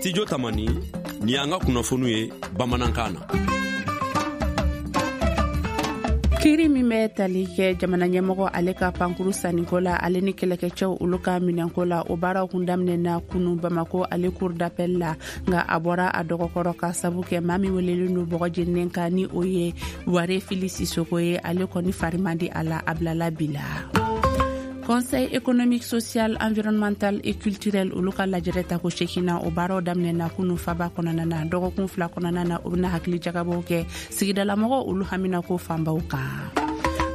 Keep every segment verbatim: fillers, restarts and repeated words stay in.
Studio Tamani, ni y'an ka kunnafoniw ye bamanankan na. Kiri min bɛ tali kɛ jamana ɲɛmɔgɔ ale ka pankuru sanniko la, ale ni kɛlɛkɛcɛw olu ka minɛnko la, o baaraw kun daminɛna kunu Bamako ale cour d'appel la, nka a bɔra a dɔgɔkɔrɔ ka sabu kɛ maa min welelen don bɔgɔ jeninen kan, ni o ye Ware Fili Sisoko ye, ale kɔni fari man di a la, a bilala bi la. Conseil économique, social, environnemental et culturel olu ka lajɛrɛ tako seginna, o baaraw daminɛna kunu faba kɔnɔna na. Dɔgɔkun fila kɔnɔna na, o bɛna hakili jagabɔw kɛ sigidalamɔgɔw olu haminako fanbaw kan.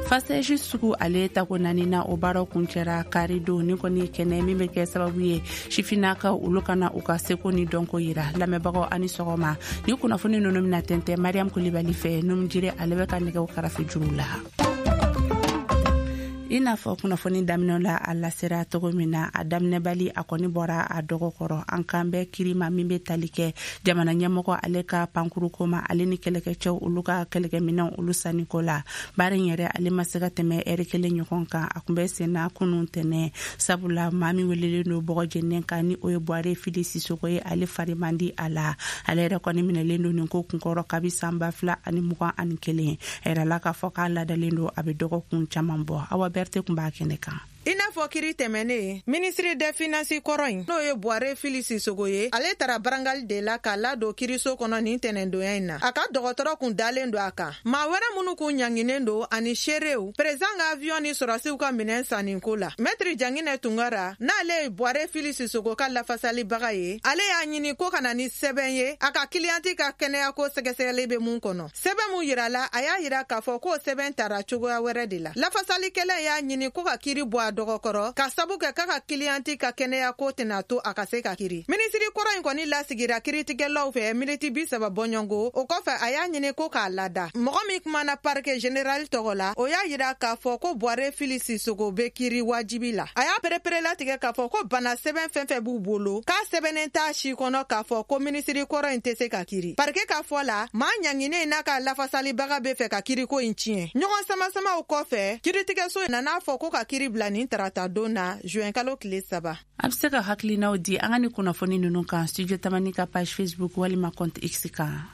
FACEJ sugu ale tako naani na, o baaraw kuncɛra kari don. Ni kɔni kɛnɛ min bɛ kɛ sababu ye sifinnakaw olu kana u ka seko ni dɔnko yira. Lamɛnbagaw, ani sɔgɔma. Ni kunnafoni ninnu bɛna tɛntɛn Mariam Kulibali fɛ. Numujire ale bɛ ka nɛgɛw karafe juru la. I n'a fɔ kunnafoni daminɛ la, a lasera cogo min na, a daminɛbali a kɔni bɔra a dɔgɔkɔrɔ. An kan bɛ kiri ma min bɛ tali kɛ jamana ɲɛmɔgɔ ale ka pankuruko ma, ale ni kɛlɛkɛcɛw olu ka kɛlɛkɛminɛw olu sanniko la. Baara in yɛrɛ ale ma se ka tɛmɛ ɛri kelen ɲɔgɔn kan. A kun bɛ senna kunun tɛnɛ, sabula maa min welelen don bɔgɔ jeninen kan, ni o ye Buware Fili Sisoko ye, ale fari man di a la. Ale yɛrɛ kɔni minɛlen don nin ko kunkɔrɔ kabi san ba fila ani mugan ani kelen. A yirala k'a fɔ k'a ladalen don a bɛ dɔgɔkun caman bɔ. Awa Bɛrite tun b'a kɛnɛ kan. I n'a fɔ kiri tɛmɛnen, ministre des Finances kɔrɔ in, n'o ye Buware Fili Sisogo ye, ale tara brancard de la k'a ladon kiriso kɔnɔ nin tɛnɛndonya in na. A ka dɔgɔtɔrɔ kun dalen don a kan. Maa wɛrɛ minnu kun ɲanginen don ani seerew, président ka avion ni sɔrɔsiw ka minɛn sanniko la, Maître Janginɛ Tunkara, n'ale ye Buware Fili Sisogo ka lafasalibaga ye, ale y'a ɲini ko ka na ni sɛbɛn ye a ka client ka kɛnɛyako sɛgɛsɛgɛli bɛ mun kɔnɔ. Sɛbɛn mun yirala, a y'a yira k'a fɔ k'o sɛbɛn tara cogoya wɛrɛ de la. Lafasalikɛla y'a ɲini ko ka kiri bɔ a dɔgɔkɔrɔ ka sabu kɛ k'a ka client ka kɛnɛyako tɛna to a ka se ka kiri. Minisiri kɔrɔ in kɔni lasigira kiritigɛlaw fɛ miniti bi saba bɔɲɔgɔnko. O kɔfɛ, a y'a ɲini ko k'a lada. Mɔgɔ min kumana parquet général tɔgɔ la, o y'a yira k'a fɔ ko Buware Fili Sisogo bɛ kiri wajibi la. A y'a perepere latigɛ k'a fɔ ko bana sɛbɛn fɛn fɛn b'u bolo, k'a sɛbɛnnen t'a si kɔnɔ k'a fɔ ko minisiri kɔrɔ in tɛ se ka kiri. Parquet ka fɔ la, maa ɲanginen n'a ka lafasalibaga bɛ fɛ ka kiriko in tiɲɛ. Ɲɔgɔn samasamaw kɔfɛ, kiritigɛso nana fɔ ko ka kiri bila nin tarata don na, juin kalo tile saba. A bɛ se ka hakilinaw di an ka ni kunnafoni ninnu kan Studio Tamani ka page Facebook walima compte X kan.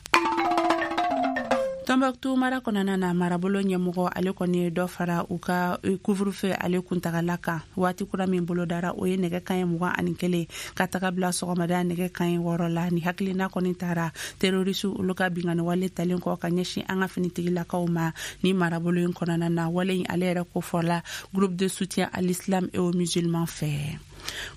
Tɔnbɔkutu mara kɔnɔna na, marabolo ɲɛmɔgɔ ale kɔni ye dɔ fara u ka couvre-feu ale kuntagala kan. Waati kura min bolodara, o ye nɛgɛ kaɲɛ mugan ani kelen ka taga bila sɔgɔmada nɛgɛ kaɲɛ wɔɔrɔ la. Ni hakilina kɔni tara terroriste olu ka bingani wale talen kɔ ka ɲɛsin an ka finitigilakaw ma ni marabolo in kɔnɔna na. Wale in ale yɛrɛ kofɔla Groupe de soutien à l'islam et aux musulmans fɛ.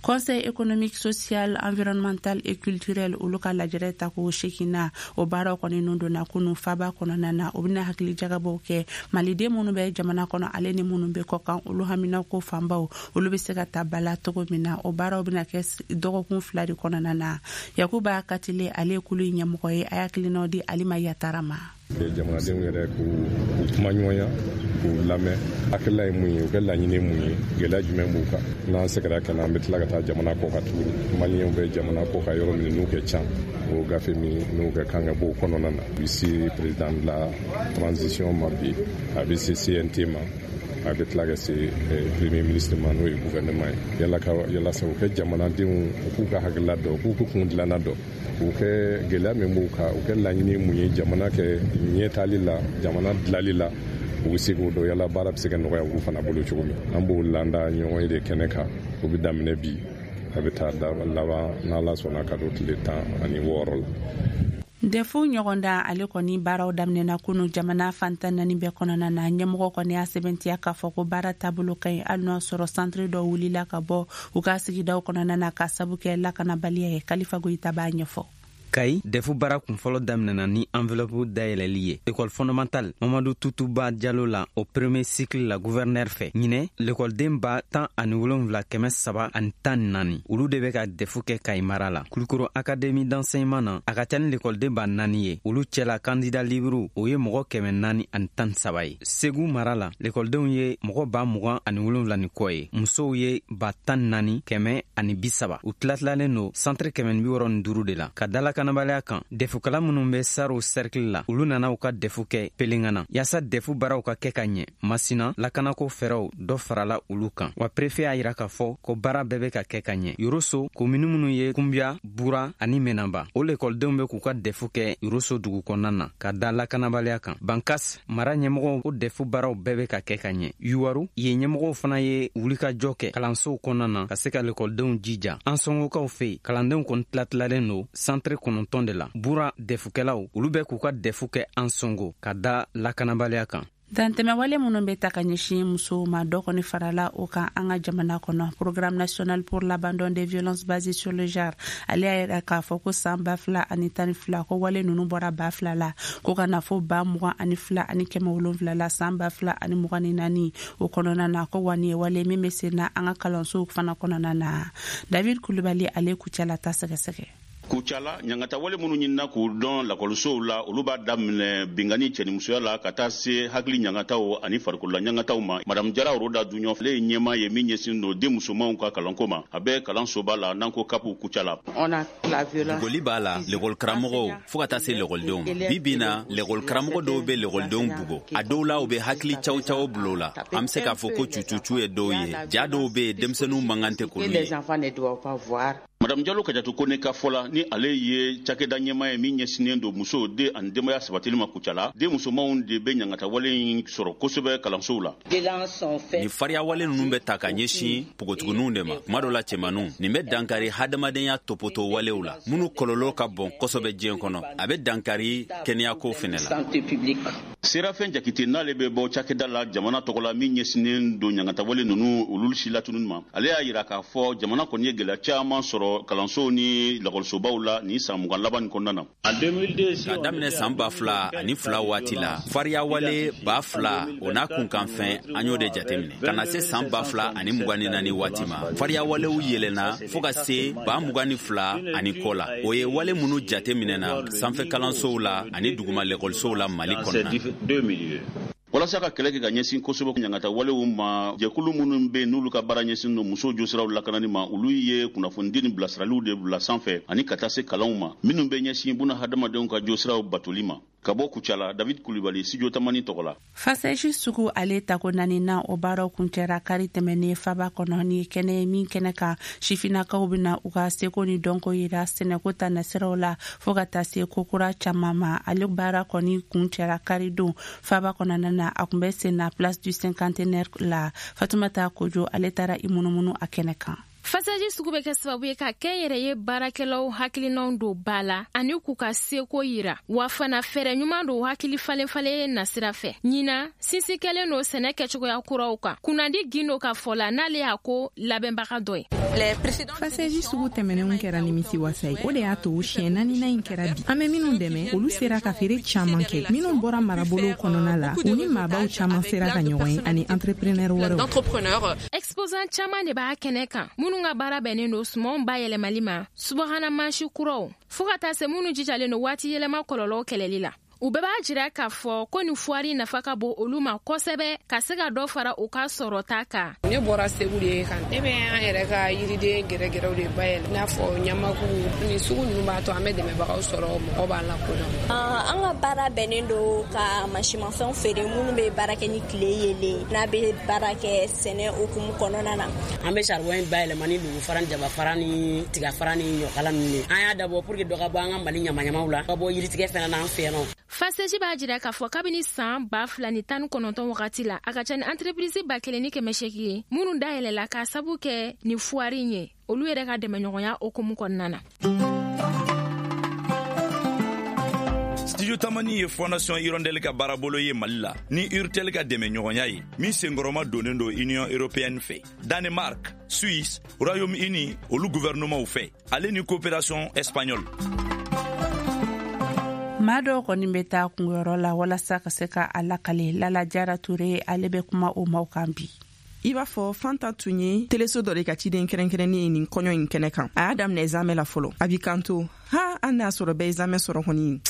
Conseil économique, social, environnemental et culturel olu ka lajɛrɛ tako seginna, o baaraw kɔni nun donna kunu faba kɔnɔna na. O bɛna hakili jagabɔw kɛ maliden minnu bɛ jamana kɔnɔ, ale ni minnu bɛ kɔkan, olu haminako fanbaw olu bɛ se ka ta bala cogo min na. O baaraw bɛna kɛ dɔgɔkun fila de kɔnɔna na. Yakuba Katile, ale ye kulu in ɲɛmɔgɔ ye, a y'a hakilinaw di Alima Yatara ma. Jamanadenw yɛrɛ k'u kuma ɲɔgɔnya, k'u lamɛn, hakilila ye mun ye, u ka laɲini ye mun ye, gɛlɛya jumɛn b'u kan. N'an seginna ka na, an bɛ tila ka taa jamana kɔ kan tuguni, Maliyɛnw bɛ jamana kɔ kan yɔrɔ min n'u kɛ ca, o gafe min n'u ka kan ka bɔ o kɔnɔna na. A bɛ se président de la transition ma bi, a bɛ se C N T ma, a bɛ tila ka se premier ministre ma, n'o ye gouvernement ye, yala ka yalasa u kɛ jamanadenw u k'u ka hakilila dɔn, u k'u kun dilanna dɔn, u kɛ gɛlɛya min b'u kan, u kɛ laɲini mun ye jamana kɛ ɲɛtali la, jamana dilali la, u bɛ se k'o dɔn, yala baara bɛ se ka nɔgɔya olu fana bolo cogo min. An b'o landa ɲɔgɔn ye de kɛnɛ kan. O bɛ daminɛ bi, a bɛ taa laban, n'Ala sɔnna, ka don tile tan ani wɔɔrɔ la. D E F ɲɔgɔndan ale kɔni baaraw daminɛna kunu jamana fantan naani bɛɛ kɔnɔna na. Ɲɛmɔgɔ kɔni y'a sɛbɛntiya k'a fɔ ko baara taabolo ka ɲi, hali n'o sɔrɔ centre dɔw wulila ka bɔ u ka sigidaw kɔnɔna na ka sabu kɛ lakanabaliya ye. Kalifa Goyita b'a ɲɛfɔ. Kayi, D E F baara kunfɔlɔ daminɛna ni enveloppe dayɛlɛli ye école fondamentale Mamadu Tutuba Jalo la, o premier cycle la, gouverneur fɛ. Ɲinɛ, lekɔliden ba tan ani wolonfila kɛmɛ saba ani tan ni naani, olu de bɛ ka D E F kɛ Kayi mara la. Kulukoro académie d'enseignement na, a ka ca ni lekɔliden ba naani ye, olu cɛla candidat libre o ye mɔgɔ kɛmɛ naani ani tan saba ye. Segu mara la, lekɔlidenw ye mɔgɔ ba mugan ani wolonfila ni kɔ ye, musow ye ba tan naani kɛmɛ ani bi saba. U tilatilalen don centre kɛmɛ ni bi wɔrɔ ni duuru de la ka dala. lakanabaliya kan, dɛfukala minnu bɛ Saro cercle la, olu nana u ka dɛfu kɛ Pelengana yaasa dɛfu baaraw ka kɛ ka ɲɛ. Masina lakanako fɛɛrɛw dɔ farala olu kan, wa préfet y'a yira k'a fɔ ko baara bɛɛ bɛ ka kɛ ka ɲɛ. Yoroso komini minnu ye Kunbiya, Bura ani Menaba, o lekɔlidenw bɛ k'u ka dɛfu kɛ Yoroso dugu kɔnɔna na ka da lakanabaliya kan. Bankas mara ɲɛmɔgɔw ko dɛfu baaraw bɛɛ bɛ ka kɛ ka ɲɛ. Yuwaru yen ɲɛmɔgɔw fana ye wulikajɔ kɛ kalansow kɔnɔna na ka se ka lekɔlidenw jija. An sɔngokaw fɛ yen, kalandenw kɔni tilatilalen don santere kɔnɔntɔn de la. Bura dɛfukɛlaw olu bɛ k'u ka dɛfu kɛ an sɔngo ka da lakanabaliya kan. Dantɛmɛwale minnu bɛ ta ka ɲɛsin musow ma, dɔ kɔni farala o kan an ka jamana kɔnɔ. Programme national pour l'abandon des violences basées sur le genre, ale y'a yira k'a fɔ ko san ba fila ani tan ni fila ko wale ninnu bɔra ba fila la ko ka na fo ba mugan ani fila ani kɛmɛ wolonfila la san ba fila ani mugan ni naani o kɔnɔna na, ko wa nin ye wale min bɛ sen na an ka kalansow fana kɔnɔna na. David Kulubali ale Kucala ta sɛgɛsɛgɛ. Kucala ɲangatawale minnu ɲinina k'u dɔn lakɔlisow la, olu b'a daminɛ binkanni cɛnimusoya la ka taa se hakili ɲangataw ani farikolola ɲangataw ma. Madame Jara Roda Duɲɔ, ale ye ɲɛmaa ye min ɲɛsin don den musomanw ka kalanko ma. A bɛ kalansoba la n'an ko kapu Kucala. Bugɔli b'a la lekɔli karamɔgɔw fo ka taa se lekɔlidenw ma. Bi bi na lekɔli karamɔgɔ dɔw bɛ lekɔlidenw bugɔ, a dɔw la u bɛ hakili caw caw bila u la. An bɛ se k'a fɔ ko cucucu ye dɔw ye, ja dɔw bɛ yen denmisɛnninw man kan tɛ k'olu ye. Madame Jalo Kajatu Kone ka fɔ la, ni ale ye cakɛda ɲɛmaa ye min ɲɛsinnen don musow den ani denbaya sabatili ma Kucala, den musomanw de bɛ ɲangatawale in sɔrɔ kosɛbɛ kalansow la. Nin fariyawale ninnu bɛ ta ka ɲɛsin npogotigininw de ma, kuma dɔ la cɛmaninw. Nin bɛ dankari hadamadenya topoto walew la minnu kɔlɔlɔ ka bon kosɛbɛ diɲɛ kɔnɔ. A bɛ dankari kɛnɛyako fɛnɛ la. Serafɛn Jakite n'ale bɛ bɔ cakɛda la jamana tɔgɔ la min ɲɛsinnen don ɲangatawale ninnu olu si latununi ma, ale y'a yira k'a fɔ jamana kɔni ye gɛlɛya caman sɔrɔ kalansow ni lakɔlisobaw la nin san mugan laban nin kɔnɔna na. Ka daminɛ san ba fila ani fila waati la, fariyawale ba fila o n'a kunkanfɛn an y'o de jateminɛ. Ka na se san ba fila ani mugan ni naani waati ma, fariyawalew yɛlɛnna fo ka se ba mugan ni fila ani kɔ la. O ye wale minnu jateminɛna sanfɛ kalansow la ani duguma lakɔlisow la Mali kɔnɔna. Walasa ka kɛlɛ kɛ ka ɲɛsin kosɛbɛ ɲangata walew ma, jɛkulu minnu bɛ yen n'olu ka baara ɲɛsin don musow josiraw lakanani ma, olu ye kunnafonidi ni bilasiraliw de bila sanfɛ ani ka taa se kalanw ma minnu bɛ ɲɛsin buna hadamadenw ka josiraw batoli ma. Ka bɔ Kucala, David Kulibali, Studio Tamani tɔgɔ la. Fasɛji sugu ale tako naaninan o baaraw kuncɛra kari tɛmɛnen faba kɔnɔ. Ni kɛnɛ min kɛnɛ kan, sifinnakaw bɛna u ka seko ni dɔnko yira sɛnɛko ta nasiraw la fo ka taa se kokura caman ma. Ale baara kɔni kuncɛra kari don faba kɔnɔna na, a kun bɛ sen na Place du Cinquantenaire la. Fatumata Kojo ale taara i munumunu a kɛnɛ kan. Fasaji sugu bɛ kɛ sababu ye ka kɛnyɛrɛye baarakɛlaw hakilinaw don ba la ani k'u ka seko yira, wa fana fɛɛrɛ ɲuman don hakili falenfalen nasira fɛ. Ɲinan sinsin kɛlen don sɛnɛ kɛcogoya kuraw kan. Kunnandi Gindo ka fɔ la, n'ale y'a ko labɛnbaga dɔ ye. Fasaji sugu tɛmɛnenw kɛra nimisi wasa ye, o de y'a to siɲɛ naaninan in kɛra bi. An bɛ minnu dɛmɛ, olu sera ka feere caman kɛ. Minnu bɔra marabolow kɔnɔna la, u ni maabaw caman sera ka ɲɔgɔn ye ani entrepreneur wɛrɛw. Exposant caman de b'a kɛnɛ kan minnu ka baara bɛnnen don sumanw bayɛlɛmali ma, subahana mansi kuraw, fo ka taa se minnu jijalen don waati yɛlɛma kɔlɔlɔw kɛlɛli la. U bɛɛ b'a jira k'a fɔ ko nin fuwari nafa ka bon olu ma kosɛbɛ ka se ka dɔ fara u ka sɔrɔta kan. Ne bɔra Segu de kan, ne bɛ an yɛrɛ ka yiriden gɛrɛgɛrɛw de bayɛlɛ, i n'a fɔ ɲamaku ni sugu ninnu b'a to an bɛ dɛmɛbagaw sɔrɔ, mɔgɔw b'an lakodɔn. An ka baara bɛnnen don ka mansimafɛnw feere minnu bɛ baara kɛ ni tile yeelen, n'a bɛ baara kɛ sɛnɛ hukumu kɔnɔna na. An bɛ saribɔn in bayɛlɛma ni lugufara ni jabafara ni tigafara ni ɲɔkala ninnu ye. An y'a dabɔ pour que dɔ ka bɔ an ka Mali ɲamaɲamaw la, ka bɔ yiritigɛ fana n'an fɛ yan nɔ. Faseji b'a jira k'a fɔ kabini san ba fila ni tan ni kɔnɔntɔn wagati la, a ka ca ni entreprise ba kelen ni kɛmɛ seegin ye minnu dayɛlɛla k'a sabu kɛ nin fuwari in ye, olu yɛrɛ ka dɛmɛɲɔgɔnya hukumu kɔnɔna na. Studio Tamani ye Fondation Hirondelle ka baarabolo ye Mali la ni Urtel ka dɛmɛɲɔgɔnya ye min senkɔrɔma donnen don Union européenne fɛ, Danemark, Suisse, Royaume-Uni olu gouvernementw fɛ, ale ni coopération espagnole. Maa dɔw kɔni bɛ taa kungoyɔrɔ la walasa ka se ka a lakale. Lala Jara Ture ale bɛ kuma o maaw kan bi. I b'a fɔ Fanta tun ye teleso dɔ de ka ciden kɛrɛnkɛrɛnnen ye nin kɔɲɔ in kɛnɛ kan. A y'a daminɛ zamɛ la fɔlɔ. A b'i kanto, ha, an n'a sɔrɔ bɛɛ ye zamɛ sɔrɔ kɔni,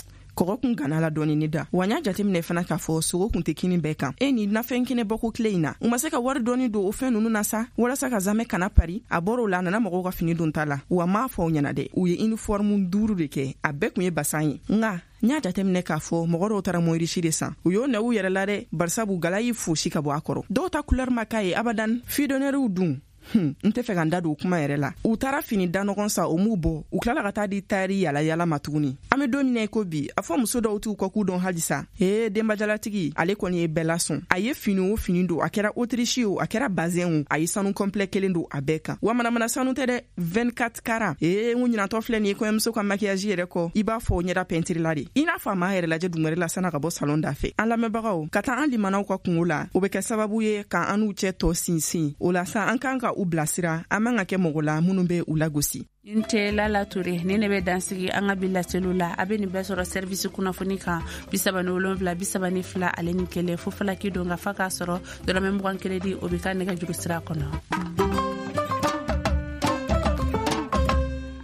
Kɔgɔ kun gana la dɔɔni ne da. Wa n y'a jateminɛ fana k'a fɔ sogo kun tɛ kini bɛɛ kan. E ni nafɛn kɛnɛ bɔko tile in na, u ma se ka wari dɔɔni don o fɛn ninnu na sa, walasa ka zamɛ kana pari. A bɔr'o la, a nana mɔgɔw ka fini don ta la. Wa m'a fɔ aw ɲɛna dɛ, u ye uniforme duuru de kɛ, a bɛɛ kun ye basan ye. Nka n y'a jateminɛ k'a fɔ mɔgɔ dɔw taara moyirisi de san. U y'o nɛ u yɛrɛ la dɛ, barisabu gala y'i fosi ka bɔ a kɔrɔ. Dɔw ta couleur ma k'a ye abadan. Fidɔnɛriw dun, Hmm, n tɛ fɛ ka n da don o kuma yɛrɛ la. U taara fini da nɔgɔn san, o m'u bɔ, u tilala ka taa di tayɛri yala yala ma tuguni. An be don min na i ko bi, a fɔ muso dɔw t'u kɔk'u dɔn halisa. Ee, denbajalatigi ale kɔni ye bɛɛ lasɔn. A ye fini o fini don, a kɛra autriche o, a kɛra bazin o, a ye sanu complet kelen don a bɛɛ kan. Wa manamana sanu tɛ dɛ, vingt-quatre carats. Ee, n ko ɲinantɔ filɛ nin ye kɔɲɔmuso ka maquillage yɛrɛ kɔ, i b'a fɔ ɲɛda pɛntiri la de, i n'a fɔ a m'a yɛrɛ lajɛ dungɛrɛ la san'a ka bɔ salon da fɛ. An lamɛnbagaw, ka taa an limanaw ka kungo la, o bɛ kɛ sababu ye k'an n'u cɛ tɔ sinsin. O la sa, an kan ka u bilasira, an man ka kɛ mɔgɔ la minnu bɛ u lagosi. N tɛ Lala Ture, ni ne bɛ dansigi an ka bi laseliw la. A bɛ nin bɛɛ sɔrɔ service kunnafoni kan bi saba ni wolonwula bi saba ni fila ale ni kelen fo falaki don ka fa k'a sɔrɔ dɔrɔmɛ mugan kelen di, o bɛ ka nɛgɛjuru sira kɔnɔ.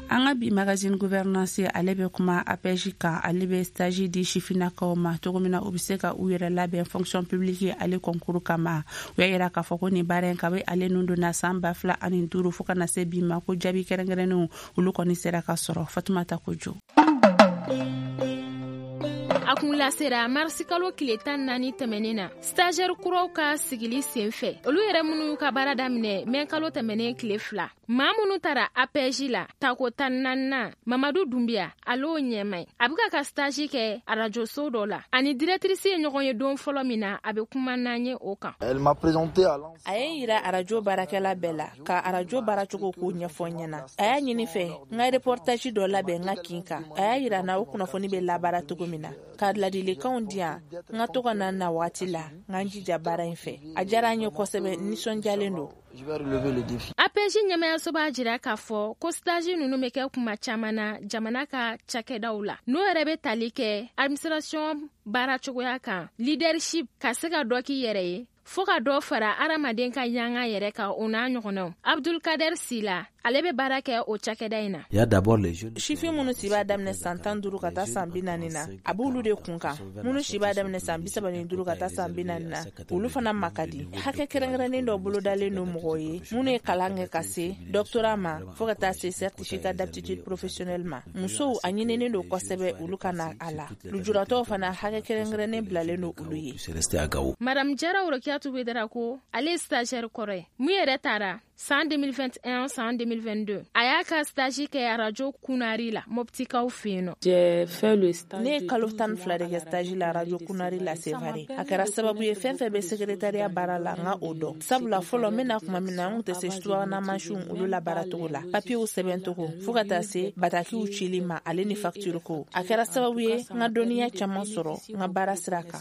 An ka bi magazine gouvernance ale bɛ kuma A P E J kan. Ale bɛ stage di sifinnakaw ma cogo min na u bɛ se ka u yɛrɛ labɛn fonction publique ale concours kama. U y'a yira k'a fɔ ko nin baara in kabi ale nun donna san ba fila ani duuru fo ka na se bi ma, ko jaabi kɛrɛnkɛrɛnnenw olu kɔni sera ka sɔrɔ. Fatumata Kojo. A kun lasera marisikalo tile tan naani tɛmɛnen na, stagiaire kuraw ka sigili sen fɛ, olu yɛrɛ minnu ka baara daminɛ mɛ kalo tɛmɛnen tile fila. Maa minnu tara A P E J la tako tan naaninan, Mamadu Dunbiya ale ɲɛma ye. A bɛ ka ka stage kɛ arajoso dɔ la, ani directrice ye ɲɔgɔn ye don fɔlɔ min na, a bɛ kuma n'an ye o kan. A ye n yira arajo baarakɛla bɛɛ la ka arajo baaracogo ko ɲɛfɔ n ɲɛna. A y'a ɲini fɛ n ka reportage dɔ labɛn n ka kin kan. A y'a yira n na o kunnafoni bɛ labaara cogo min na, ka ladilikanw di yan n ka to ka na na waati la, n ka n jija baara in fɛ. A diyara n ye kosɛbɛ, nisɔndiyalen don. A P E J ɲɛmayaso b'a jira k'a fɔ ko stage ninnu bɛ kɛ kuma caman na jamana ka cakɛdaw la, n'o yɛrɛ bɛ tali kɛ administration baara cogoya kan, leadership, ka se ka dɔ k'i yɛrɛ ye, fo ka dɔ fara hadamaden ka yanga yɛrɛ kan, o n'a ɲɔgɔnnaw. Abdulkader Sila ale bɛ baara kɛ o cakɛda in na. Sifin minnu si b'a daminɛ san tan duuru ka taa san bi naani na, a b'olu de kun kan. Minnu si b'a daminɛ san bi saba ni duuru ka taa san bi naani na, olu fana ma ka di. Hakɛ kɛrɛnkɛrɛnnen dɔ bolodalen don mɔgɔw ye minnu ye kalan kɛ ka se doctorat ma fo ka taa se certificat d'aptitude professionnelle ma. Musow a ɲininen don kosɛbɛ olu ka na a la. Lujuratɔw fana hakɛ kɛrɛnkɛrɛnnen bilalen don olu ye. Madame Jara Orokiyatu Wedara ko ale ye stagiaire kɔrɔ ye min yɛrɛ taara san deux mille vingt et un san deux mille vingt-deux. A y'a ka stage kɛ arajo Kunari la, Moptikaw fɛ yen nɔ. Ne ye kalo tan ni fila de kɛ stage la arajo Kunari la Sevare. A kɛra sababu ye fɛn fɛn bɛ secrétariat baara la, n ka o dɔn. Sabula fɔlɔ n bɛna kuma min na, n kun tɛ se subahana mansinw olu la baaracogo la, papiyew sɛbɛncogo fo ka taa se batakiw cili ma ale ni facture ko. A kɛra sababu ye n ka dɔnniya caman sɔrɔ n ka baara sira kan.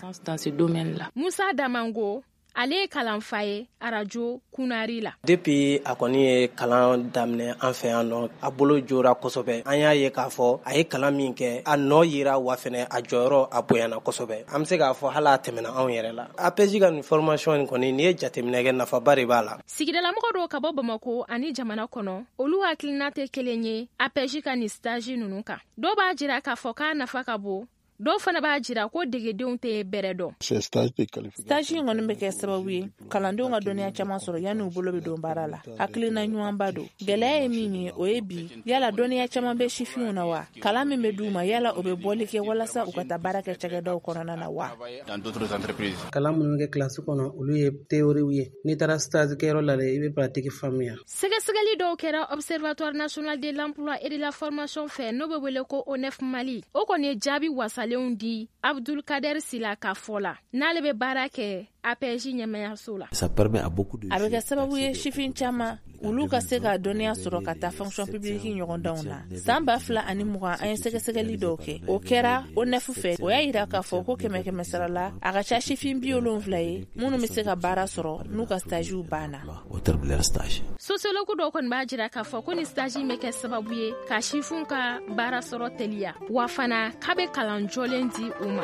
Musa Damango ale ye kalanfa ye arajo Kunari la. Depuis a kɔni ye kalan daminɛ an fɛ yan nɔ, a bolo jora kosɛbɛ. An y'a ye k'a fɔ a ye kalan min kɛ, a nɔ yira wa fɛnɛ a jɔyɔrɔ a bonyana kosɛbɛ. An bɛ se k'a fɔ hali a tɛmɛna anw yɛrɛ la. A P E J ka nin formation in kɔni, n'i ye jateminɛ kɛ, nafaba de b'a la. Sigidalamɔgɔ dɔw ka bɔ Bamakɔ ani jamana kɔnɔ, olu hakilina tɛ kelen ye A P E J ka nin stage ninnu kan. Dɔw b'a jira k'a fɔ k'a nafa ka bon, dɔw fana b'a jira ko degedenw tɛ bɛrɛ dɔn. Stage in kɔni bɛ kɛ sababu ye kalandenw ka dɔnniya caman sɔrɔ yanni u bolo bɛ don baara la. Hakilina ɲumanba don. Gɛlɛya ye min ye, o ye bi yala dɔnniya caman bɛ sifinw na wa? Kalan min bɛ d'u ma, yala o bɛ bɔli kɛ walasa u ka taa baara kɛ cakɛdaw kɔnɔna na wa? Kalan minnu bɛ kɛ kilasi kɔnɔ, olu ye théorie ye. N'i taara stage kɛyɔrɔ la dɛ, i bɛ pratique faamuya. Sɛgɛsɛgɛli dɔw kɛra Observatoire national de l'emploi et de la formation fɛ, n'o bɛ wele ko O N E F Mali. O kɔni ye jaabi wasa di Abdulkader Sila ka fɔ la, n'ale bɛ baara kɛ A P E J ɲɛmayaso la. A bɛ kɛ sababu ye sifin caman olu ka se ka dɔnniya sɔrɔ ka taa fonction publique ɲɔgɔndanw na. San ba fila ani mugan an ye sɛgɛsɛgɛli dɔw kɛ, o kɛra O N E F fɛ. O y'a yira k'a fɔ ko kɛmɛ kɛmɛ sara la, a ka ca sifin bi wolonwula ye minnu bɛ se ka baara sɔrɔ n'u ka stagew banna. Sociologue dɔw kɔni b'a jira k'a fɔ ko ni stage in bɛ kɛ sababu ye ka sifinw ka baara sɔrɔ teliya, wa fana k'a bɛ kalan jɔlen di u ma.